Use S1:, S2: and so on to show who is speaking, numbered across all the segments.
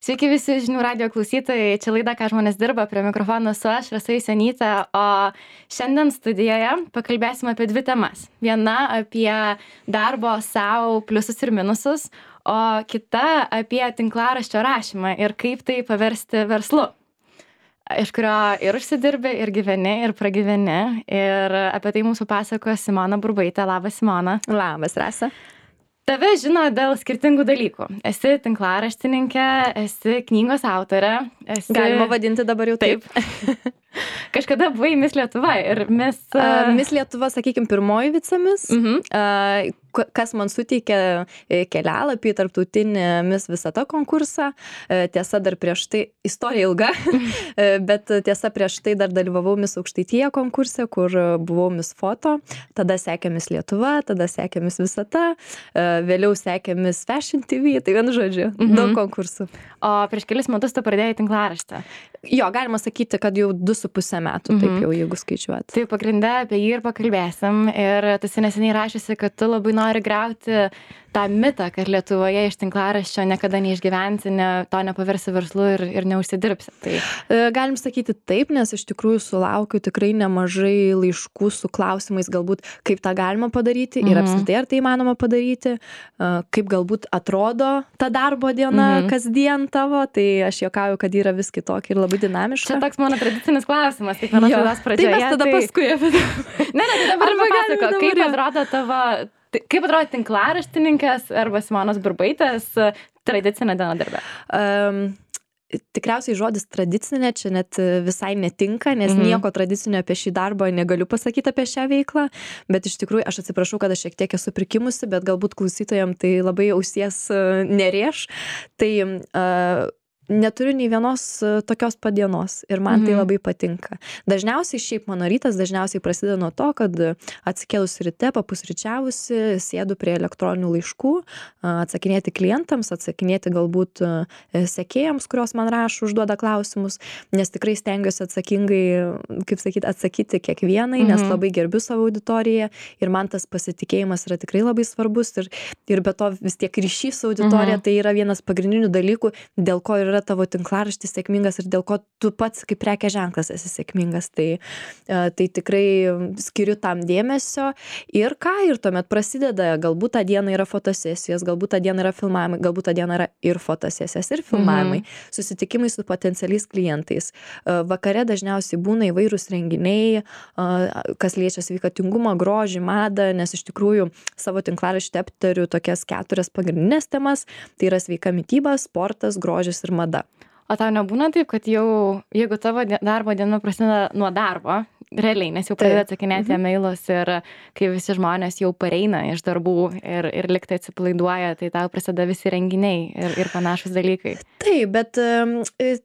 S1: Sveiki visi žinių radio klausytojai, čia laida, ką žmonės dirba, prie mikrofono su aš, Rasa Jusionytė, o šiandien studijoje pakalbėsime apie dvi temas. Viena apie darbo savo pliusus ir minusus, o kita apie tinklaraščio rašymą ir kaip tai paversti verslu, iš kurio ir užsidirbi, ir gyveni, ir pragyveni. Ir apie tai mums papasakos Simona Burbaitė. Labas, Simona.
S2: Labas, Rasa.
S1: Tave žino dėl skirtingų dalykų. Esi tinklaraštininkė, esi knygos autorė.
S2: Galima vadinti dabar jau taip.
S1: Kažkada buvai Miss Lietuva ir Miss
S2: Lietuva, sakykime, pirmoji vicemis, kas man suteikė kelialapį į tarptautinį Miss Visata konkursą. Tiesa, dar prieš tai, istorija ilga, bet tiesa, prieš tai dar dalyvavau Miss Aukštaitija konkurse, kur buvau Miss Foto, tada sekė Miss Lietuva, tada sekė Miss Visata, vėliau sekė Miss Fashion TV, tai vienu žodžiu, daug konkursų.
S1: O prieš kelis metus tu pradėjai tinklaraštį.
S2: Jo, galima sakyti, kad jau 2,5 metų, taip jau, jeigu skaičiuot.
S1: Tai pagrinde apie jį ir pakalbėsim. Ir tu neseniai rašysi, kad tu labai nori griauti tą mitą, kad Lietuvoje iš tinklaraščio niekada neišgyvensi, to nepaversi verslu ir neužsidirbsi. Tai
S2: galim sakyti taip, nes iš tikrųjų sulaukiu tikrai nemažai laiškų su klausimais, galbūt kaip tą galima padaryti ir apskritai ar tai įmanoma padaryti, kaip galbūt atrodo ta darbo diena kasdien tavo, tai aš juokauju, kad yra vis kitokia ir labai dinamiška.
S1: Čia toks mano tradicinis klausimas, kiekvienos laidos pradžioje.
S2: Tai mes tada paskui apie tai.
S1: Ne, dabar papasako, kaip atrodo tavo... Kaip atrodo tinklaraštininkės arba Simonos Burbaitės tradicinė dienodarbė?
S2: Tikriausiai žodis tradicinė čia net visai netinka, nes nieko tradicinio apie šį darbą negaliu pasakyti apie šią veiklą, bet iš tikrųjų aš atsiprašau, kad aš šiek tiek esu prikimusi, bet galbūt klausytojams tai labai ausies nerėš. Tai neturiu nei vienos tokios padienos ir man tai labai patinka. Dažniausiai šiaip mano rytas dažniausiai prasideda nuo to, kad atsikėlus ryte, papusryčiavusi, sėdu prie elektroninių laiškų, atsakinėti klientams, atsakinėti galbūt sekėjams, kurios man rašo, užduoda klausimus, nes tikrai stengiuosi atsakingai, kaip sakyti, atsakyti kiekvienai, nes labai gerbiu savo auditoriją ir man tas pasitikėjimas yra tikrai labai svarbus ir be to vis tiek ryšys su auditorija tai yra vienas pagrindinių dalykų, dėl ko yra tavo tinklaraštis sėkmingas ir dėl ko tu pats kaip prekės ženklas esi sėkmingas. Tai tikrai skiriu tam dėmesio ir tuomet prasideda, galbūt tą dieną yra fotosesijos, galbūt tą dieną yra filmavimai, galbūt tą dieną yra ir fotosesijos, ir filmavimai, susitikimai su potencialiais klientais. Vakare dažniausiai būna įvairūs renginiai, kas liečia sveikatingumą, grožį, madą, nes iš tikrųjų savo tinklaraštį aptariu tokias 4 pagrindinės temas, tai yra sveika mityba, sportas, grožis ir mada.
S1: O tau nebūna taip, kad jau, jeigu tavo darbo diena prasideda nuo darbo, realiai, nes jau pradeda atsakinėti e-mailus ir kai visi žmonės jau pareina iš darbų ir liktai atsipalaiduoja, tai tau prasideda visi renginiai ir panašus dalykai.
S2: Taip, bet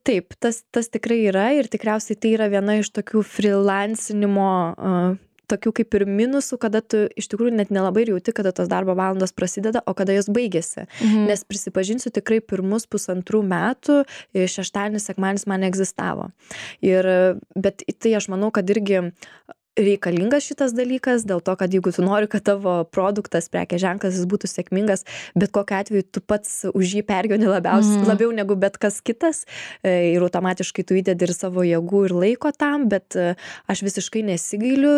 S2: taip, tas tikrai yra ir tikriausiai tai yra viena iš tokių freelancinimo tokių kaip ir minusų, kada tu iš tikrųjų net nelabai jauti, kada tos darbo valandos prasideda, o kada jos baigėsi. Nes prisipažinsiu, tikrai pirmus 1,5 metų šeštadienis, sekmadienis man neegzistavo. Bet tai aš manau, kad irgi reikalingas šitas dalykas, dėl to, kad jeigu tu nori, kad tavo produktas, prekės ženklas, jis būtų sėkmingas, bet kokiu atveju tu pats už jį pergyveni labiau negu bet kas kitas ir automatiškai tu įdedi ir savo jėgų ir laiko tam, bet aš visiškai nesigailiu,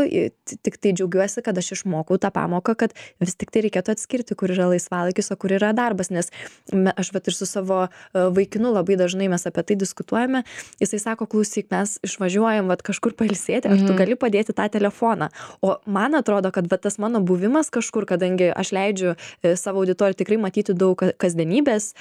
S2: tik tai džiaugiuosi, kad aš išmokau tą pamoką, kad vis tik tai reikėtų atskirti, kur yra laisvalaikis, o kur yra darbas, nes aš ir su savo vaikinu labai dažnai mes apie tai diskutuojame, jisai sako, klausyk, mes išvažiuojam kažkur pailsėti, ar tu gali padėti tą telefoną. O man atrodo, kad tas mano buvimas kažkur, kadangi aš leidžiu savo auditorijai tikrai matyti daug kasdienybės,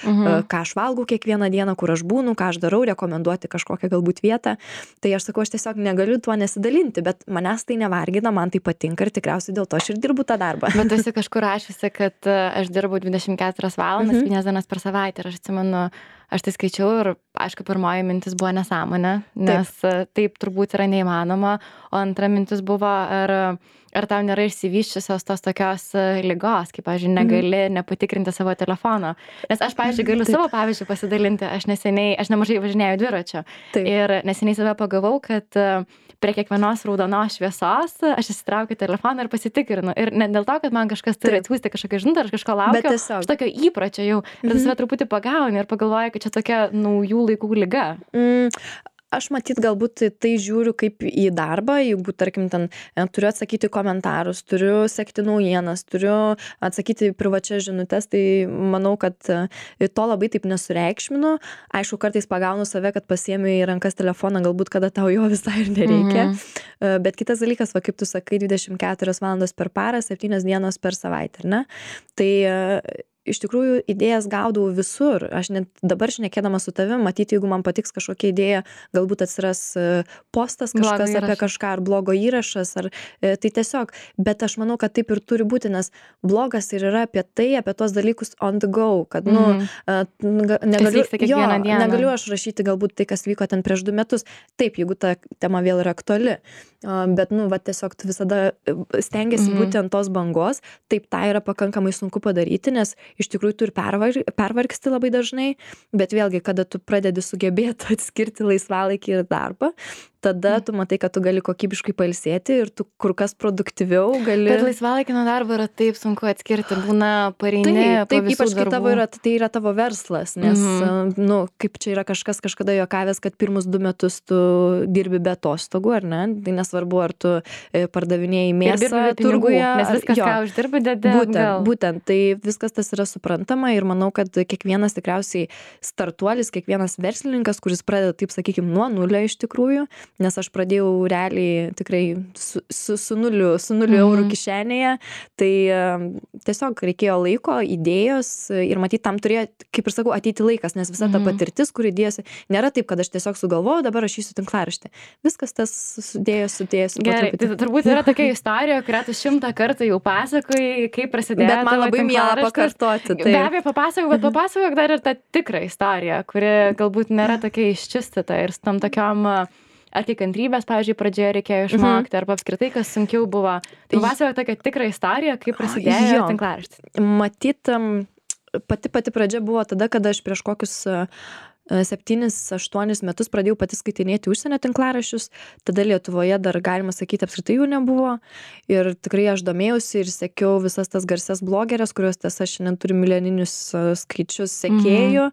S2: ką aš valgau kiekvieną dieną, kur aš būnu, ką aš darau, rekomenduoti kažkokią galbūt vietą, tai aš sakau, aš tiesiog negaliu tuo nesidalinti, bet manęs tai nevargina, man tai patinka ir tikriausiai dėl to aš ir dirbu tą darbą.
S1: Bet esi kažkur rašiusi, kad aš dirbu 24 valandas, 7 dienas per savaitę ir aš atsimenu, aš tai skaičiau ir, aišku, pirmoji mintis buvo nesąmonė, nes taip turbūt yra neįmanoma, o antra mintis buvo, ar ar tau nėra išsivysčiusios tos tokios ligos, kaip, pavyzdžiui, negali nepatikrinti savo telefono. Nes aš, pavyzdžiui, galiu savo pavyzdžių pasidalinti. Aš nemažai važinėjau dviračiu. Ir neseniai save pagavau, kad prie kiekvienos raudonos šviesos aš įsitraukiu telefoną ir pasitikrinu. Ir ne dėl to, kad man kažkas turi atsiųsti kažkokią žinutę, aš kažko laukiu, aš tokio įpročio jau. Ir tu save truputį pagauni ir pagalvoju, kad čia tokia naujų laikų liga.
S2: Aš matyt galbūt tai žiūriu kaip į darbą, jeigu, tarkim, ten turiu atsakyti komentarus, turiu sekti naujienas, turiu atsakyti privačias žinutes, tai manau, kad to labai taip nesureikšminu. Aišku, kartais pagaunu save, kad pasiemi į rankas telefoną, galbūt kada tau jo visai ir nereikia. Bet kitas dalykas, va, kaip tu sakai, 24 valandos per parą, 7 dienos per savaitę, ar ne? Tai iš tikrųjų idėjas gaudau visur. Aš net dabar šnekėdama su tavim, matyti, jeigu man patiks kažkokia idėja, galbūt atsiras postas kažkas apie kažką, ar blogo įrašas, ar tai tiesiog. Bet aš manau, kad taip ir turi būti, nes blogas ir yra apie tai, apie tos dalykus on the go, kad, negaliu aš rašyti galbūt tai, kas vyko ten prieš 2 metus. Taip, jeigu ta tema vėl yra aktuali. Bet, tiesiog tu visada stengiasi būti ant tos bangos. Taip, tai yra pakankamai sunku padaryti, nes iš tikrųjų tu ir pervargsti labai dažnai, bet vėlgi, kada tu pradedi sugebėti atskirti laisvalaikį ir darbą, tada tu matai, kad tu gali kokybiškai pailsėti ir tu kur kas produktyviau gali.
S1: Bet laisvalaikį nuo darbo yra taip sunku atskirti, būna pareini po visų
S2: ypač
S1: darbų.
S2: Tai yra tavo verslas, nes, kaip čia yra kažkas kažkada juokavęs, kad pirmus 2 metus tu dirbi be atostogų, ar ne? Tai nesvarbu, ar tu pardavinėjai mėsą turguje.
S1: Nes viskas, ką uždirbi, dedi.
S2: Būtent, tai viskas tas yra suprantama ir manau, kad kiekvienas tikriausiai startuolis, kiekvienas verslininkas, kuris pradeda, taip sakykime, nuo nulio iš tikrųjų, nes aš pradėjau realiai tikrai su nuliu eurų kišenėje, tai tiesiog reikėjo laiko, idėjos ir matyt, tam turėjo, kaip ir sakau, ateiti laikas, nes visa ta patirtis, kur įdėjosi, nėra taip, kad aš tiesiog sugalvojau, dabar rašysiu tinklaraštį. Viskas tas sudėjosi.
S1: Gerai, tai turbūt yra tokia istorija, kurią tu 100 kartų jau pasakojai, kaip prasidėjo.
S2: Bet man labai miela pakartoti.
S1: Be abejo, papasakok dar ir tą tikrą istoriją, kuri galbūt nėra tokia iščistyta ir su tam tokiom ar tai kantrybės, pavyzdžiui, pradžioje reikėjo išmokti, arba apskritai, kas sunkiau buvo. Tai pasakok tokią tikrą istoriją, kaip prasidėjo tinklaraštis.
S2: Matyt, pati pradžia buvo tada, kada aš prieš kokius 7-8 metus pradėjau pati skaitinėti užsienio tinklaraščius, tada Lietuvoje dar, galima sakyti, apskritai jų nebuvo ir tikrai aš domėjausi ir sekiau visas tas garsias blogerės, kurios tiesa šiandien turi milijoninius skaičius sekėjų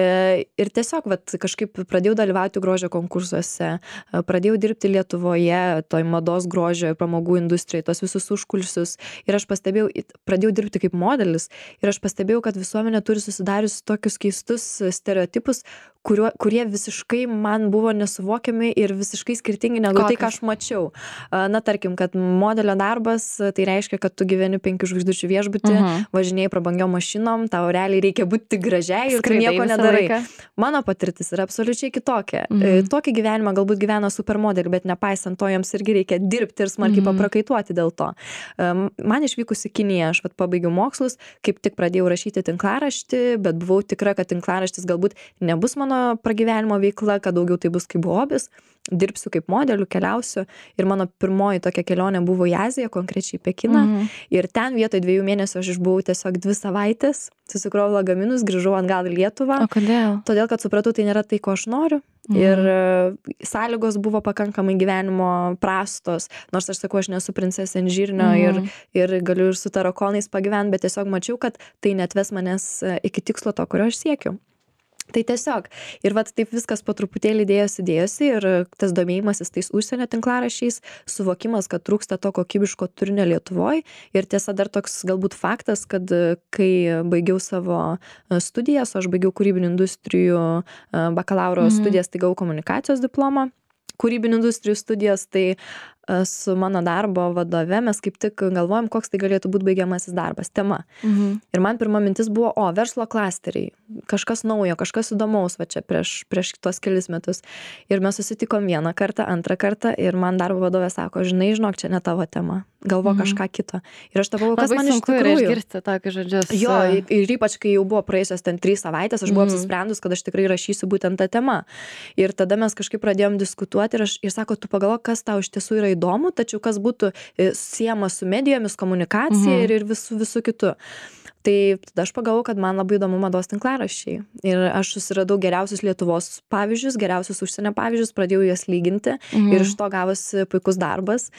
S2: ir tiesiog kažkaip pradėjau dalyvauti grožio konkursuose, pradėjau dirbti Lietuvoje, toj mados grožio ir pramogų industrijai, tos visus užkulisius ir aš pradėjau dirbti kaip modelis ir aš pastebėjau, kad visuomenė turi susidarius tokius keistus stereotipus, kurie visiškai man buvo nesuvokiami ir visiškai skirtingi negu tai, ką aš mačiau. Na, tarkim, kad modelio darbas, tai reiškia, kad tu gyveni 5 žvaigždučių viešbutį, važinėjai prabangiom mašinom, tau realiai reikia būti gražiai ir tu nieko nedarai. Mano patirtis yra absoliučiai kitokia. Tokį gyvenimą galbūt gyvena supermodeliai, bet nepaisant to, jiems irgi reikia dirbti ir smarkiai paprakaituoti dėl to. Man išvykus į Kiniją, aš pabaigiau mokslus, kaip tik pradėjau rašyti tinklaraštį, bet buvau tikra, kad tinklaraštis galbūt nebus mano pragyvenimo veikla, kad daugiau tai bus kaip hobis, dirbsiu kaip modeliu, keliausiu ir mano pirmoji tokia kelionė buvo į Aziją, konkrečiai Pekiną ir ten vietoj 2 mėnesių aš išbuvau tiesiog 2 savaitės, susikrovau lagaminus, grįžau atgal į Lietuvą.
S1: O kodėl?
S2: Todėl, kad supratau, tai nėra tai, ko aš noriu ir sąlygos buvo pakankamai gyvenimo prastos, nors aš sakau, aš nesu princesė ant žirnio ir galiu ir su tarakonais pagyventi, bet tiesiog mačiau, kad tai netves manęs iki tikslo to, kurio aš siekiu. Tai tiesiog. Ir taip viskas po truputėlį dėjosi ir tas domėjimasis tais užsienio tinklaraščiais, suvokimas, kad trūksta to kokybiško turinio Lietuvoje. Ir tiesa dar toks galbūt faktas, kad kai baigiau savo studijas, aš baigiau kūrybinių industrijų bakalauro studijas, tai gavau komunikacijos diplomą. Kūrybinių industrijų studijas, tai su mano darbo vadove mes kaip tik galvojom, koks tai galėtų būti baigiamasis darbas, tema. Ir man pirma mintis buvo, verslo klasteriai, kažkas naujo, kažkas įdomaus, čia prieš tuos kelis metus. Ir mes susitikom 1 kartą, 2 kartą ir man darbo vadovė sako, žinok, čia ne tavo tema, galvo kažką kito. Ir aš tavau, kas man iš tikrųjų.
S1: Labai sunku yra išgirsti tokius žodžius.
S2: Jo, ir ypač, kai jau buvo praėjusios ten 3 savaitės, aš buvau apsisprendus, kad aš tikrai rašysiu būtent tą temą. Ir tada mes kažkaip pradėjom diskutuoti ir sako, tu pagalvok, kas tau iš tiesų yra įdomu, tačiau kas būtų siejama su medijomis, komunikacija ir visų kitų. Tai tada aš pagalvojau, kad man labai įdomu mados tinklaraščiai. Ir aš susiradau geriausius Lietuvos pavyzdžius, geriausius užsienio pavyzdžius, pradėjau jas lyginti ir iš to gavosi puikus darbas.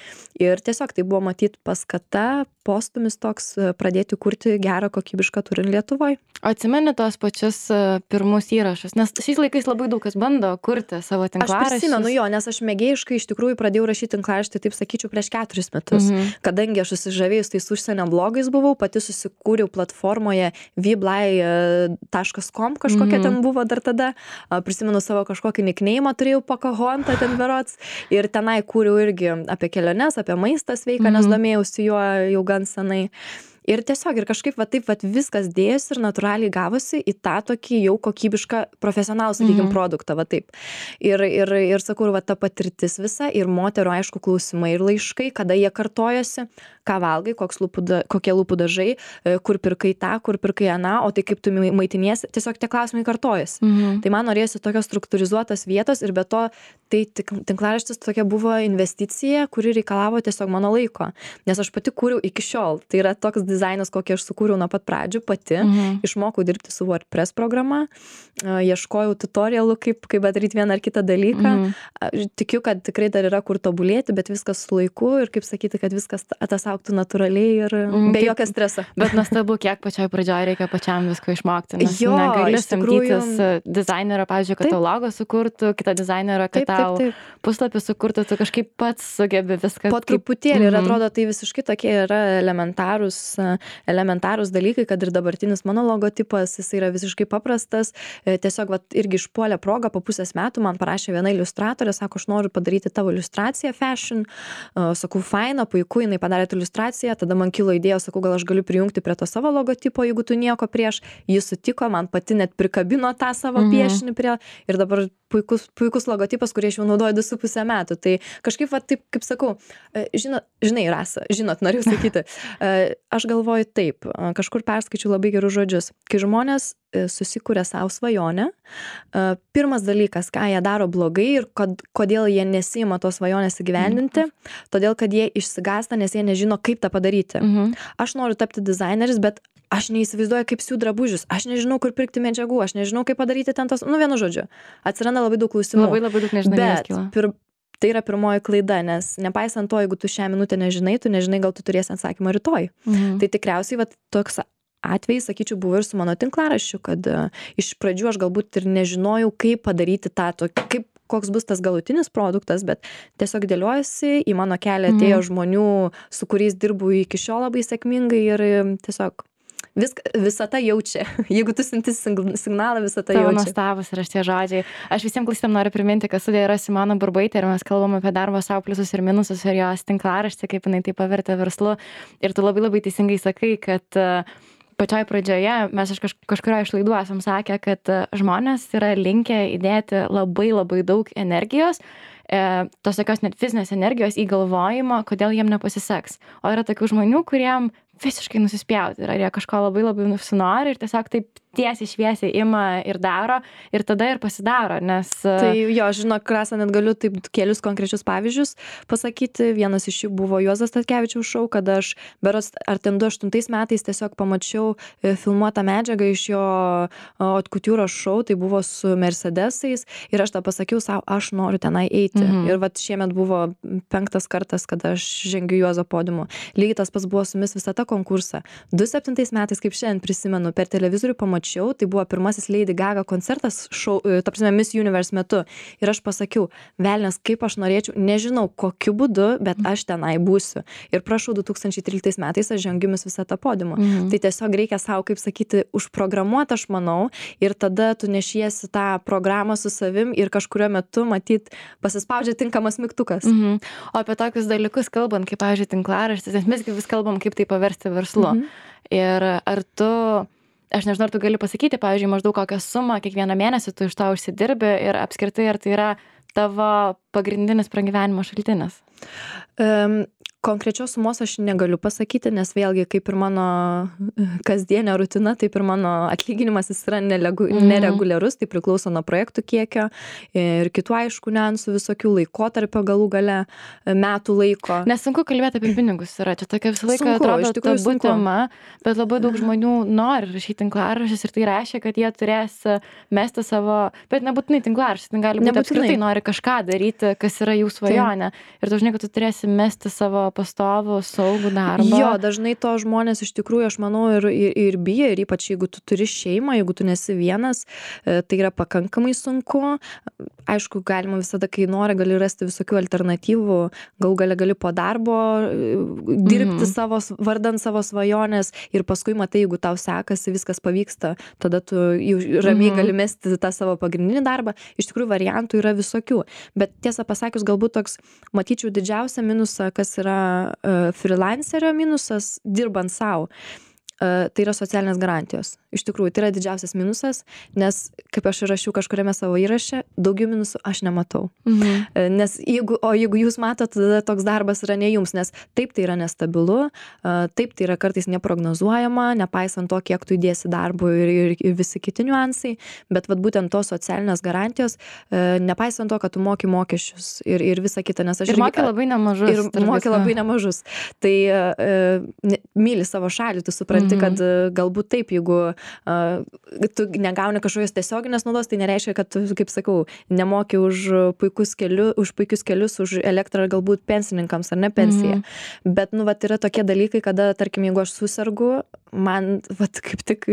S2: Ir tiesiog tai buvo matyti paskata, postumis toks pradėti kurti gerą kokybišką turinį Lietuvoje.
S1: O atsimeni tos pačius pirmus įrašus? Nes šiais laikais labai daug kas bando kurti savo tinklaraščius.
S2: Aš prisimenu jo, nes aš mėgėjiškai iš tikrųjų pradėjau rašyti tinklaraštį, taip sakyčiau, prieš 4 metus. Kadangi aš susižavėjus tais užsienio blogais buvau, pati susikūriau platformoje vblai.com, kažkokia ten buvo dar tada. Prisimenu savo kažkokį nickname'ą, turėjau Pocahontas ten berods. Ir tenai kūriau irgi apie keliones, apie maistą sveiką, nes domėjausi juo jau gan senai. Ir tiesiog ir kažkaip taip viskas dėjosi ir natūraliai gavosi į tą tokį jau kokybišką profesionalų, sakykim, produktą, taip. Ir sakau, ta patirtis visa ir moterų, aišku, klausimai ir laiškai, kada jie kartojosi, ką valgai, kokie lūpų dažai, kur pirkai tą, kur pirkai aną, o tai kaip tu maitiniesi, tiesiog tie klausimai kartojasi. Tai man norėjosi tokios struktūrizuotos vietos ir be to, tai tinklaraštis tokia buvo investicija, kuri reikalavo tiesiog mano laiko, nes aš pati kūriau iki šiol. Tai yra toks dizainas, kokį aš sukūriau nuo pat pradžių pati, išmokau dirbti su WordPress programa, ieškojau tutorialų, kaip padaryti vieną ar kitą dalyką. Tikiu, kad tikrai dar yra kur tobulėti, bet viskas su laiku ir kaip sakyti, kad viskas auktų natūraliai ir be jokio streso.
S1: Bet nuostabu, kiek pačioj pradžioje reikia pačiam visko išmokti, nes negali samdytis dizainerio, pavyzdžiui, kad tau logo sukurtų, kitą dizainerio, kad tau puslapį sukurtų, tu kažkaip pats sugebi viską.
S2: Po truputėlį ir atrodo, tai visiškai tokie yra elementarūs dalykai, kad ir dabartinis mano logotipas, jis yra visiškai paprastas. Tiesiog irgi išpuolė progą, po pusės metų man parašė viena iliustratorė, sako, aš noriu padaryti tavo iliustraciją fashion. Sakau, faina, puiku, jinai padarė iliustraciją, tada man kilo idėja, sakau, gal aš galiu prijungti prie to savo logotipo, jeigu tu nieko prieš. Jis sutiko, man pati net prikabino tą savo piešinį prie ir dabar puikus logotipas, kurį aš jau naudoju 2,5 metų. Tai kažkaip, taip, kaip sakau, žinai, Rasa, noriu sakyti, aš galvoju taip, kažkur perskaičiu labai gerus žodžius. Kai žmonės susikūrė savo svajonę, pirmas dalykas, ką jie daro blogai ir kodėl jie nesiima tos svajonės įgyvendinti, todėl, kad jie išsigąsta, nes jie nežino, kaip tą padaryti. Aš noriu tapti dizaineris, bet aš neįsivaizduoju, kaip siūt drabužius, aš nežinau, kur pirkti medžiagų, aš nežinau, kaip padaryti ten tos, vienu žodžiu, atsiranda labai daug klausimų.
S1: Labai daug nežinomybės kyla.
S2: Tai yra pirmoji klaida, nes nepaisant to, jeigu tu šią minutę nežinai, tu nežinai, gal tu turėsi atsakymą rytoj. Tai tikriausiai toks atvejis, sakyčiau, buvo ir su mano tinklaraščiu, kad iš pradžių aš galbūt ir nežinojau, kaip padaryti koks bus tas galutinis produktas, bet tiesiog dėliojasi, į mano kelią atėjo žmonių, su kuriais dirbu iki šiol labai sėkmingai ir tiesiog visata jaučia. Jeigu tu siunti signalą, visata jaučia.
S1: Tavo nuostabus yra šitie žodžiai. Aš visiems klausytojams noriu priminti, kad studijoje yra Simona Burbaitė ir mes kalbam apie darbo savo pliusus ir minusus ir jos tinklaraštį, kaip jinai tai pavertė verslu. Ir tu labai teisingai sakai, kad pačioj pradžioje mes kažkurio iš laidų esam sakę, kad žmonės yra linkę įdėti labai daug energijos, tos tokios net fizinės energijos į galvojimą, kodėl jiem nepasiseks. O yra tokių žmonių, kuriem visiškai nusispjauti ir ar jie kažko labai nusinori ir tiesiog taip tiesiai šviesiai ima ir daro ir tada ir pasidaro, nes...
S2: Tai jo, žinok, Rasa, net galiu taip kelius konkrečius pavyzdžius pasakyti. Vienas iš jų buvo Juozo Statkevičiaus šou, kada aš berods ar ten 2008 metais tiesiog pamačiau filmuotą medžiagą iš jo haute couture šou, tai buvo su Mercedesais ir aš tą pasakiau savo, aš noriu tenai eiti. Ir šiemet buvo 5. kartas, kada aš žengiu Juozo podiumu. Lygiai tas pats buvo su Miss Visata konkursą. 2007 metais, kaip šiandien prisimenu, per televizorių pamačiau, tai buvo pirmasis Lady Gaga koncertas ta prasme Miss Universe metu. Ir aš pasakiau, velnias, kaip aš norėčiau, nežinau kokiu būdu, bet aš tenai būsiu. Ir prašau, 2013 metais aš žengiu Miss Visata podiumu. Tai tiesiog reikia savo, kaip sakyti, užprogramuoti, aš manau, ir tada tu nešiesi tą programą su savim ir kažkurio metu, matyt, pasispaudžia tinkamas mygtukas.
S1: O apie tokius dalykus kalbant, kaip, pavyzdžiui, tinklaraštis, nes mes vis kalbam, kaip tai paversti verslu. Ir ar tu, aš nežinau, ar tu gali pasakyti, pavyzdžiui, maždaug kokią sumą kiekvieną mėnesį tu iš to užsidirbi ir apskritai, ar tai yra tavo pagrindinis pragyvenimo šaltinis?
S2: Konkrečios sumos aš negaliu pasakyti, nes vėlgi kaip ir mano kasdienė rutina, taip ir mano atlyginimas jis yra nereguliarus, tai priklauso nuo projektų kiekio ir kitų aišku niuansų, visokių laikotarpio galų gale, metų laiko.
S1: Nesunku kalbėti apie pinigus yra, čia tokia visą laiką atrodo tabu tema, bet labai daug žmonių nori rašyti tinklaraščius ir tai reiškia, kad jie turės mesti savo, bet nebūtinai tinklaraščius, tai gali būti apskritai nori kažką daryti, kas yra jų svajonė. Ir dažnai, kad tu turėsi mesti savo pastovų, saugų darbą.
S2: Jo, dažnai to žmonės iš tikrųjų, aš manau, ir bijo, ir ypač jeigu tu turi šeimą, jeigu tu nesi vienas, tai yra pakankamai sunku. Aišku, galima visada, kai nori, gali rasti visokių alternatyvų, galų gale gali po darbo dirbti vardant savo svajonės ir paskui matai, jeigu tau sekasi, viskas pavyksta, tada tu ramiai gali mesti tą savo pagrindinį darbą. Iš tikrųjų, variantų yra visokių. Bet tiesą pasakius, galbūt toks, matyčiau didžiausią minusą, kas yra freelancerio minusas, dirbant savo. Tai yra socialinės garantijos. Iš tikrųjų, tai yra didžiausias minusas, nes, kaip aš rašiau kažkuriame savo įraše, daugiau minusų aš nematau. Nes jeigu jūs matot, tada toks darbas yra ne jums, nes taip tai yra nestabilu, taip tai yra kartais neprognozuojama, nepaisant to, kiek tu įdėsi darbų ir visi kiti niuansai, bet vat būtent tos socialinės garantijos, nepaisant to, kad tu moki mokesčius ir visa kita, nes aš
S1: ir moki labai nemažus.
S2: Ir moki labai nemažus. Tai myli savo šalį, tu supranti, kad galbūt taip, jeigu tu negauni kažkokios tiesioginės naudos, tai nereiškia, kad tu, kaip sakau, nemoki už puikius kelius, už elektrą galbūt pensininkams ar ne pensiją. Bet, yra tokie dalykai, kada, tarkim, jeigu aš susirgu, man, kaip tik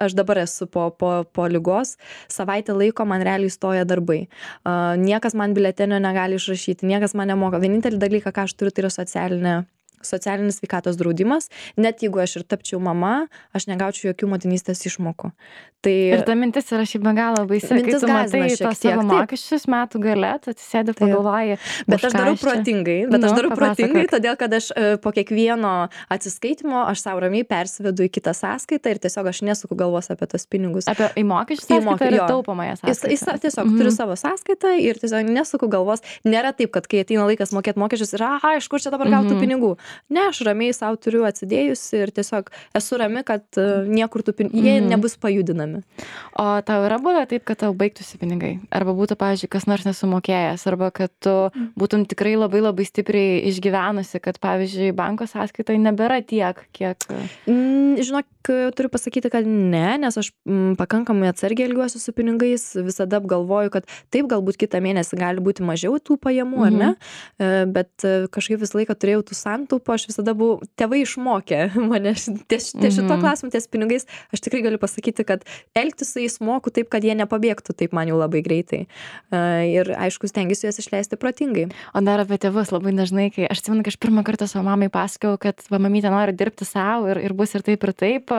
S2: aš dabar esu po ligos, savaitę laiko man realiai stoja darbai. Niekas man biletenio negali išrašyti, niekas man nemoka. Vienintelį dalyką, ką aš turiu, tai yra socialinis sveikatos draudimas, net jeigu aš ir tapčiau mama, aš negaučiau jokių motinystės išmokų.
S1: Ir ta mintis yra šiaip be galo baisi, kai tu matai tos savo mokesčius metų gale, tu atsisėdi pagalvoji.
S2: Bet aš darau protingai, todėl kad aš po kiekvieno atsiskaitimo aš savo ramiai persivedu į kitą sąskaitą ir tiesiog aš nesuku galvos apie tos pinigus.
S1: Į mokesčių sąskaitą ir taupomąją sąskaitą.
S2: Tiesiog turiu savo sąskaitą ir tiesiog nesuku galvos. Nėra taip, kad kai ateina laikas mokėti mokesčius ir iš kur čia dabar gautų pinigų. Ne, aš ramiai savo turiu atsidėjusi ir tiesiog esu rami, kad niekur jie nebus pajudinami.
S1: O tau yra buvę taip, kad tau baigtųsi pinigai? Arba būtų, pavyzdžiui, kas nors nesumokėjęs, arba kad tu būtum tikrai labai labai stipriai išgyvenusi, kad, pavyzdžiui, banko sąskaitoje nebėra tiek, kiek...
S2: Žinok, turiu pasakyti, kad ne, nes aš pakankamai atsargiai elgiuosi su pinigais, visada apgalvoju, kad taip galbūt kitą mėnesį gali būti mažiau tų pajamų, ar ne? Bet kažkaip visą laiką turėjau tų santaupų, aš visada buvau, tėvai išmokė mane ties šito klausimu, ties pinigais, aš tikrai galiu pasakyti, kad elgtis su jais moku taip, kad jie nepabėgtų taip man jau labai greitai. Ir aišku, stengiuosi juos išleisti protingai.
S1: O dar apie tėvus labai dažnai, kai aš atsimenu, kai aš pirmą kartą savo mamai pasakojau, kad mamytė nori dirbti savo ir bus ir taip,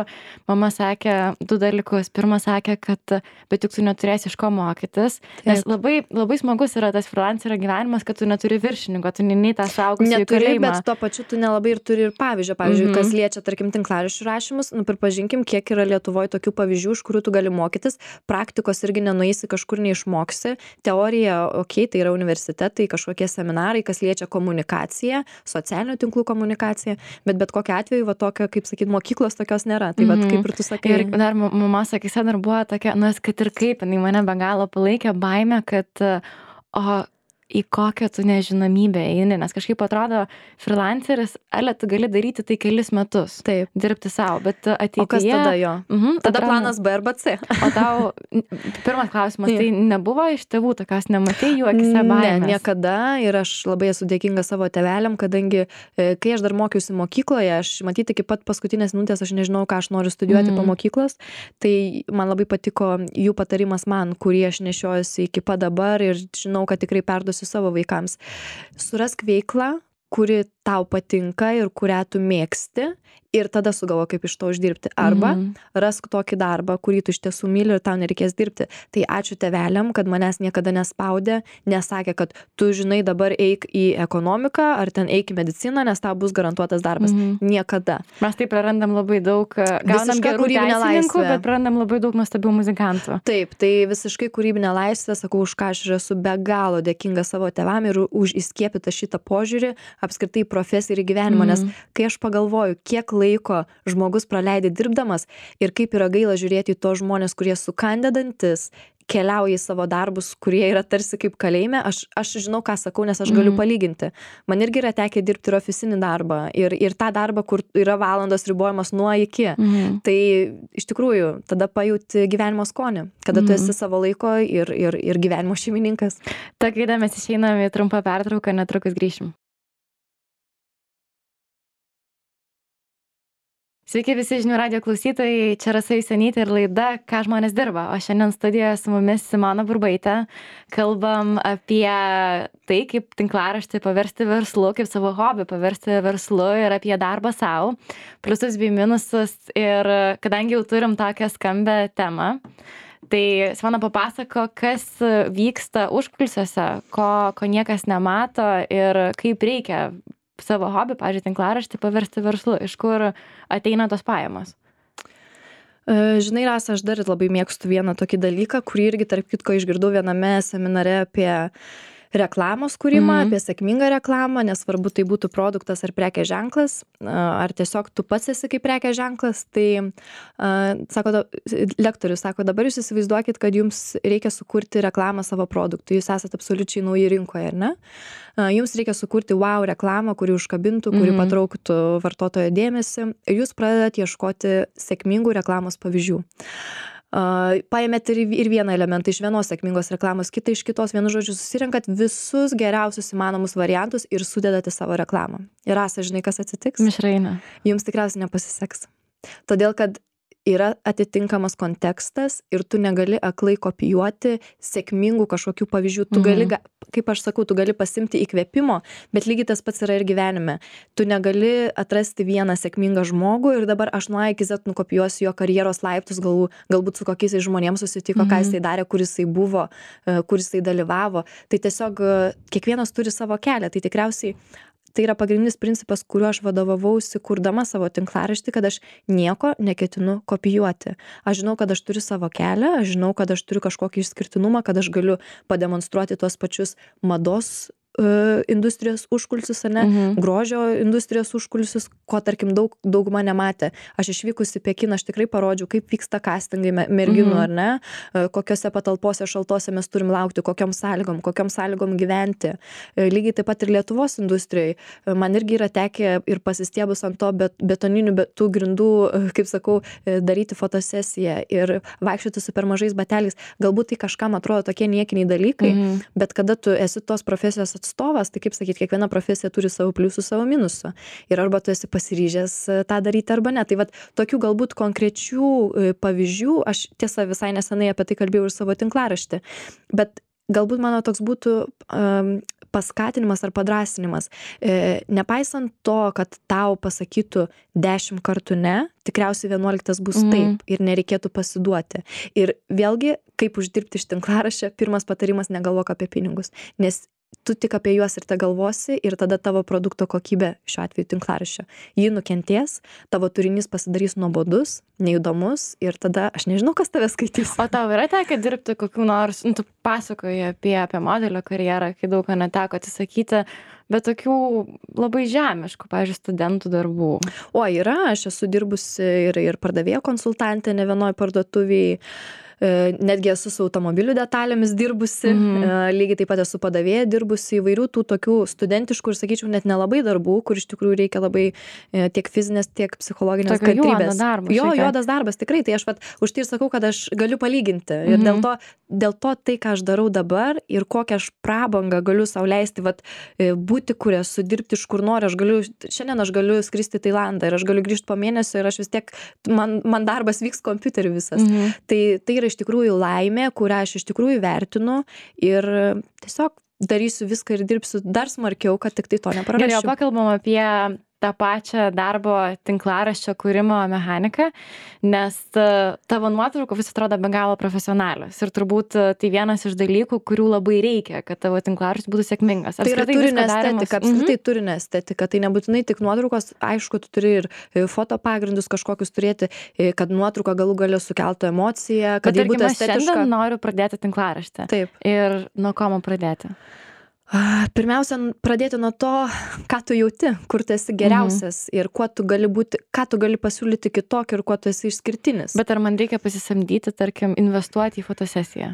S1: mama sakė du dalykus. Pirma sakė, kad bet juk tu neturėsi iš ko mokytis, nes labai, labai smagus yra tas freelancerio gyvenimas, kad tu neturi viršininko, tu nei tą suaugusį kalėjimą.
S2: Bet tuo pačiu tu nelabai ir turi ir pavyzdžio. Pavyzdžiui, kas liečia, tarkim, tinklaraščių rašymus, pripažinkim, kiek yra Lietuvoje tokių pavyzdžių, iš kurių tu gali mokytis, praktikos irgi nenueisi, kažkur neišmoksi, teorija, tai yra universitetai, kažkokie seminarai, kas liečia komunikaciją, socialinių tinklų komunikaciją, bet kokiu atveju, tokio, kaip sakyt, mokyklos tokios nėra. Tai kaip ir tu sakai.
S1: Ir dar mama sakyse dar buvo tokia, kad ir kaip, jinai mane be galo palaikė baimę, kad į kokią tu nežinomybę eini, nes kažkaip atrodo, freelanceris, tu gali daryti tai kelis metus.
S2: Taip.
S1: Dirbti savo, bet ateityje...
S2: O kas tada jo? Tada planas B arba C.
S1: O tau, pirmas klausimas, tai nebuvo iš tėvų tokios, nematei jų akise baimės?
S2: Ne, niekada, ir aš labai esu dėkinga savo tėveliam, kadangi, kai aš dar mokiausi mokykloje, aš matyti iki pat paskutinės minutės, aš nežinau, ką aš noriu studijuoti po mokyklos, tai man labai patiko jų patarimas man, kurį aš nešiojuosi iki pat dabar ir žinau, kad tikrai perduosiu savo vaikams. Surask veiklą, kuri tau patinka ir kurią tu mėgsti ir tada sugalvo, kaip iš to uždirbti. Arba rask tokį darbą, kurį tu iš tiesų myli ir tau nereikės dirbti. Tai ačiū tėveliam, kad manęs niekada nespaudė, nesakė, kad tu žinai dabar eik į ekonomiką ar ten eik į mediciną, nes tau bus garantuotas darbas. Niekada.
S1: Mes tai prarandam labai daug, gaunam gerų teisininkų, bet prarandam labai daug nuostabių muzikantų.
S2: Taip, tai visiškai kūrybinė laisvė, sakau, už ką aš esu be galo dėkinga savo tėvam ir už įskiepytą šitą požiūrį, apskritai profesiją ir į gyvenimą, nes kai aš pagalvoju, kiek laiko žmogus praleidė dirbdamas ir kaip yra gaila žiūrėti į tos žmonės, kurie sukandę dantis, keliauja į savo darbus, kurie yra tarsi kaip kalėjime, aš žinau, ką sakau, nes aš galiu palyginti. Man irgi yra tekę dirbti ir ofisinį darbą, ir tą darbą, kur yra valandos ribojamas nuo iki. Tai iš tikrųjų, tada pajauti gyvenimo skonį, kada tu esi savo laiko ir gyvenimo šeimininkas.
S1: Ta gaida mes išeiname į trumpą pertrauką, netrukus grįšim. Sveiki visi žinių radijo klausytojai, čia Rasa Jusionytė ir laida Ką žmonės dirba, o šiandien studijoje su mumis Simona Burbaitė. Kalbam apie tai, kaip tinklaraštį paversti verslu, kaip savo hobį paversti verslu ir apie darbą savo, pliusus bei minusus. Ir kadangi jau turim tokią skambę temą, tai Simona papasako, kas vyksta užkulisiuose, ko niekas nemato ir kaip reikia savo hobį, pavyzdžiui, tinklaraštį paversti verslu, iš kur ateina tos pajamos.
S2: Žinai, Rasa, aš dar labai mėgstu vieną tokį dalyką, kurį irgi tarp kitko išgirdau viename seminare apie reklamos kūrimą, apie sėkmingą reklamą, nesvarbu tai būtų produktas ar prekės ženklas, ar tiesiog tu pats esi kaip prekės ženklas. Tai lektorius sako, dabar jūs įsivaizduokit, kad jums reikia sukurti reklamą savo produktui, jūs esate absoliučiai nauji rinkoje, ar ne? Jums reikia sukurti wow reklamą, kuri užkabintų, kuri patrauktų vartotojo dėmesį, ir jūs pradedat ieškoti sėkmingų reklamos pavyzdžių. Paėmėt ir vieną elementą iš vienos sėkmingos reklamos, kitą iš kitos, vienu žodžiu susirenkat visus geriausius įmanomus variantus ir sudedate savo reklamą. Ir Rasa, žinai, kas atsitiks?
S1: Mišrainė.
S2: Jums tikriausiai nepasiseks. Todėl, kad yra atitinkamas kontekstas ir tu negali aklai kopijuoti sėkmingų kažkokių pavyzdžių. Tu gali, kaip aš sakau, tu gali pasimti įkvėpimo, bet lygiai tas pats yra ir gyvenime. Tu negali atrasti vieną sėkmingą žmogų ir dabar aš nuo A iki Z nukopijuosiu jo karjeros laiptus, galbūt su kokiais žmonėms susitiko, ką jisai darė, kur jisai buvo, kur jisai dalyvavo. Tai tiesiog kiekvienas turi savo kelią. Tai tikriausiai tai yra pagrindinis principas, kuriuo aš vadovavausi kurdama savo tinklaraštį, kad aš nieko neketinu kopijuoti. Aš žinau, kad aš turiu savo kelią, aš žinau, kad aš turiu kažkokį išskirtinumą, kad aš galiu pademonstruoti tuos pačius mados industrijos užkulisius, ar ne, grožio industrijos užkulisius, ko tarkim dauguma nematė. Aš išvykus į Pekiną, aš tikrai parodžiau, kaip vyksta castingai merginų, ar ne, kokiose patalpose šaltose mes turim laukti, kokiom sąlygom gyventi. Lygiai taip pat ir Lietuvos industrijai. Man irgi yra tekę ir pasistiebus ant to betoninių tų grindų, kaip sakau, daryti fotosesiją ir vaikščioti su per mažais bateliais. Galbūt tai kažkam atrodo tokie niekiniai dalykai, bet kada tu esi tos profesijos atstovas, tai kaip sakyti, kiekviena profesija turi savo pliusų, savo minusų. Ir arba tu esi pasiryžęs tą daryti, arba ne. Tai vat tokių galbūt konkrečių pavyzdžių, aš tiesa visai nesenai apie tai kalbėjau ir savo tinklaraštį, bet galbūt mano toks būtų paskatinimas ar padrasinimas. Nepaisant to, kad tau pasakytų 10 kartų ne, tikriausiai 11 bus taip ir nereikėtų pasiduoti. Ir vėlgi, kaip uždirbti iš tinklaraščio, pirmas patarimas: negalvok apie pinigus, nes tu tik apie juos ir te galvosi ir tada tavo produkto kokybė, šiuo atveju tinklaraščio, ji nukentės, tavo turinys pasidarys nuobodus, neįdomus ir tada aš nežinau, kas tave skaitys.
S1: O tau yra tekę dirbti kokių nors, tu pasakoji apie modelio karjerą, kai daug ko neteko atsisakyti, bet tokių labai žemiškų, pavyzdžiui, studentų darbų.
S2: O yra, aš esu dirbusi ir pardavėjo konsultantė ne vienoj parduotuvėj. Netgi esu su automobilių detalėmis dirbusi, lygiai taip pat esu padavėja dirbusi, įvairių tų tokių studentiškų ir, sakyčiau, net nelabai darbų, kur iš tikrųjų reikia labai tiek fizinės, tiek psichologinės kantrybės. Juodas darbas, tikrai. Tai aš už tai ir sakau, kad aš galiu palyginti. Ir dėl to tai, ką aš darau dabar ir kokią aš prabangą galiu sau leisti, būti, kur esu, dirbti iš kur noriu. Šiandien aš galiu skristi į Tailandą ir aš galiu grįžti po mėnesio ir aš vis tiek, man darbas vyks kompiuteriu visas. Tai yra iš tikrųjų laimė, kurią aš iš tikrųjų vertinu ir tiesiog darysiu viską ir dirbsiu dar smarkiau, kad tik tai to neprarasčiau.
S1: Gerai, pakalbam apie tą pačią darbo tinklaraščio kūrimo mechaniką, nes tavo nuotraukų vis atrodo be galo profesionalios ir turbūt tai vienas iš dalykų, kurių labai reikia, kad tavo tinklaraštis būtų sėkmingas.
S2: Tai yra turinio estetika, apskritai turinio estetika, tai nebūtinai tik nuotraukos, aišku, tu turi ir foto pagrindus kažkokius turėti, kad nuotrauka galų gale sukeltų emociją, kad ji būtų estetiška.
S1: Šiandien noriu pradėti tinklaraštį.
S2: Taip.
S1: Ir nuo ko man pradėti?
S2: Pirmiausia, pradėti nuo to, ką tu jauti, kur tu esi geriausias ir kuo tu gali būti, ką tu gali pasiūlyti kitokį ir kuo tu esi išskirtinis.
S1: Bet ar man reikia pasisamdyti, tarkim, investuoti į fotosesiją?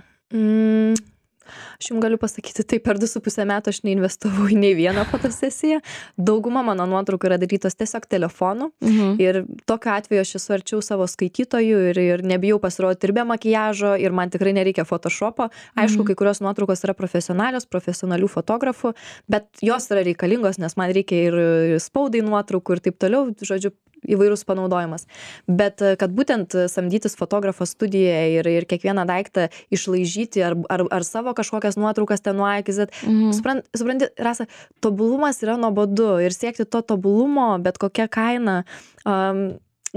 S2: Aš jums galiu pasakyti, tai per 2,5 metų aš neinvestavau į nei vieną fotosesiją. Dauguma mano nuotraukų yra darytos tiesiog telefonu. Ir tokiu atveju aš esu arčiau savo skaitytojų ir nebijau pasirodyti ir be makiažo, ir man tikrai nereikia photoshopo. Aišku, kai kurios nuotraukos yra profesionalios, profesionalių fotografų, bet jos yra reikalingos, nes man reikia ir spaudai nuotraukų ir taip toliau, žodžiu, įvairūs panaudojimas. Bet kad būtent samdytis fotografo studijoje ir kiekvieną daiktą išlaižyti ar savo kažkokias nuotraukas ten nuo A iki Z. Supranti, Rasa, tobulumas yra nuobodu ir siekti to tobulumo, bet kokia kaina.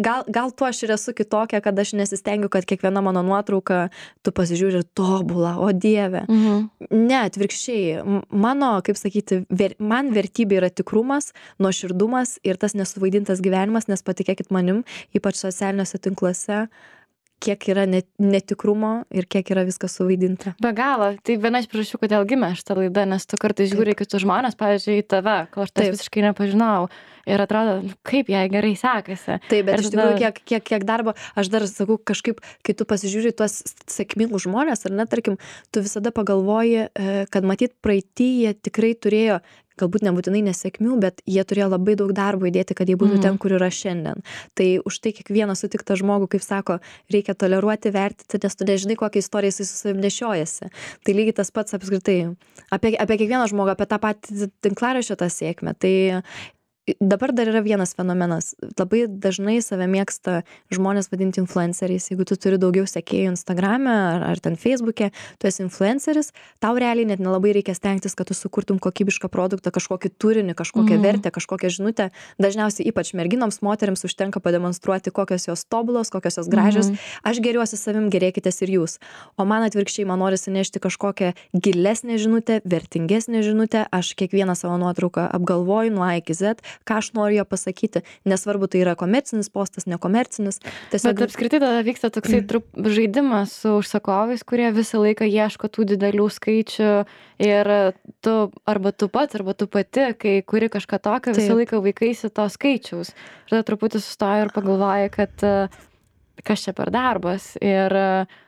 S2: Gal tuo aš ir esu kitokia, kad aš nesistengiu, kad kiekviena mano nuotrauka tu pasižiūri tobulą, o Dieve. Ne, atvirkščiai. Mano, kaip sakyti, man vertybė yra tikrumas, nuoširdumas ir tas nesuvaidintas gyvenimas, nes patikėkit manim, ypač socialiniuose tinkluose, kiek yra netikrumo ir kiek yra viskas suvaidinta.
S1: Be galo. Tai viena iš priežasčių, kodėl gimė šitą laidą, nes tu kartais žiūri kitus žmonės, pavyzdžiui, į tave, ko aš visiškai nepažinau. Ir atrodo, kaip jai gerai sekasi.
S2: Taip, bet iš tikrųjų, kiek darbo, aš dar sakau, kažkaip, kai tu pasižiūri tuos sėkmingus žmonės, ar ne, tarkim, tu visada pagalvoji, kad matyt praeitį jie tikrai turėjo, galbūt nebūtinai nesėkmių, bet jie turėjo labai daug darbo įdėti, kad jie būtų ten, kur yra šiandien. Tai už tai kiekvieną sutiktą žmogų, kaip sako, reikia toleruoti, vertinti, nes tu nežinai, kokią istoriją jis su savimi nešiojasi. Tai lygiai tas pats apskritai apie kiekvieną žmogų, apie tą patį tinklaraščio tą sėkmę. Tai dabar dar yra vienas fenomenas. Labai dažnai save mėgsta žmonės vadinti influenceriais. Jeigu tu turi daugiau sekėjų Instagrame ar ten Facebook'e, tu esi influenceris, tau realiai net nelabai reikia stengtis, kad tu sukurtum kokybišką produktą, kažkokį turinį, kažkokią vertę, kažkokią žinutę. Dažniausiai ypač merginoms, moteriams užtenka pademonstruoti, kokios jos tobulos, kokios jos gražios. Aš geriuosi savim, gerėkitės ir jūs. O man atvirkščiai, man norisi nešti kažkokią gilesnę žinutę, vertingesnę žinutę. Aš kiekvieną savo nuotrauką apgalvoju nuo A iki Z, ką aš noriu jo pasakyti, nesvarbu, tai yra komercinis postas, nekomercinis.
S1: Bet apskritai tada vyksta toksai žaidimas su užsakovais, kurie visą laiką ieško tų didelių skaičių ir tu pats, arba tu pati, kai kuri kažką tokio, visą laiką vaikaisi to skaičiaus. Ir tada truputį sustoji ir pagalvoji, kad kas čia per darbas ir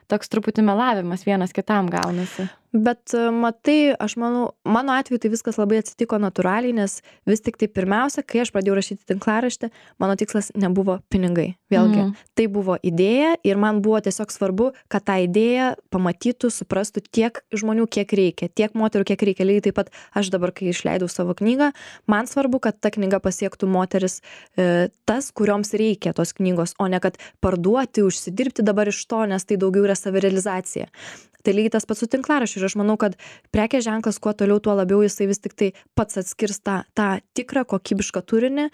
S1: toks truputį melavimas vienas kitam gaunasi.
S2: Bet matai, aš manau, mano atveju tai viskas labai atsitiko natūraliai, nes vis tik tai pirmiausia, kai aš pradėjau rašyti tinklaraštį, mano tikslas nebuvo pinigai. Vėlgi, tai buvo idėja ir man buvo tiesiog svarbu, kad tą idėją pamatytų, suprastų tiek žmonių, kiek reikia, tiek moterų, kiek reikia. Lygiai taip pat aš dabar, kai išleidau savo knygą, man svarbu, kad ta knyga pasiektų moteris tas, kurioms reikia tos knygos, o ne kad parduoti, užsidirbti dabar iš to, nes tai daugiau yra savirealizacija. Tai lygiai tas pats su tinklaraščiu ir aš manau, kad prekės ženklas kuo toliau, tuo labiau jisai vis tik tai pats atskirs tą tikrą kokybišką turinį,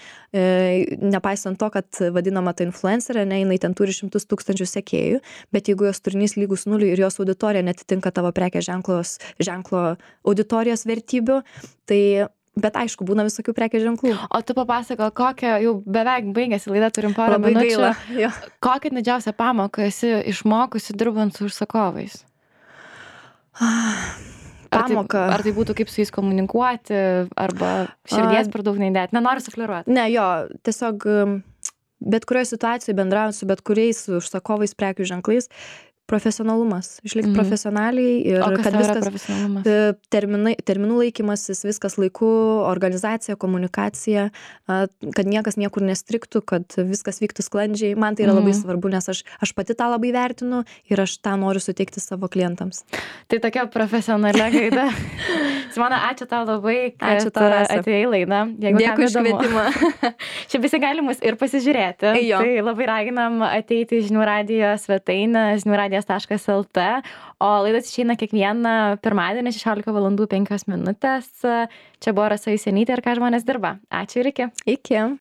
S2: nepaisant to, kad vadinama ta influencerė, ne, jinai ten turi 100 000 sekėjų, bet jeigu jos turinys lygus nuliui ir jos auditorija netitinka tavo prekės ženklo auditorijos vertybių, tai bet aišku, būna visokių prekės ženklų.
S1: O tu papasako, kokią, jau beveik baigėsi laida, turim porą minučių.
S2: Labai gaila.
S1: Kokią didžiausią pamoką esi išmokusi dirbant su užsakovais?
S2: Pamoka.
S1: Ar tai būtų kaip su jais komunikuoti, arba širdies per daug neįdėti? Nenoriu sufleruoti.
S2: Ne, jo, tiesiog bet kurioje situacijoje bendraujant su bet kuriais užsakovais, prekių ženklais, profesionalumas, išlikti profesionaliai ir kad viskas terminų laikymasis, viskas laiku, organizacija, komunikacija, kad niekas niekur nestriktų, kad viskas vyktų sklandžiai. Man tai yra labai svarbu, nes aš pati tą labai vertinu ir aš tą noriu suteikti savo klientams.
S1: Tai tokia profesionalia gaida. Simona, ačiū tau labai, kad atėjai į laidą.
S2: Dėkui už kvietimą.
S1: Čia visi gali mus ir pasižiūrėti. Tai labai raginam ateiti į Žinių radijo svetainę, žiniųradijas.lt, o laidas išeina kiekvieną pirmadienį 16:05. Čia buvo Rasa Jusionytė ir ką žmonės dirba. Ačiū ir iki.
S2: Iki.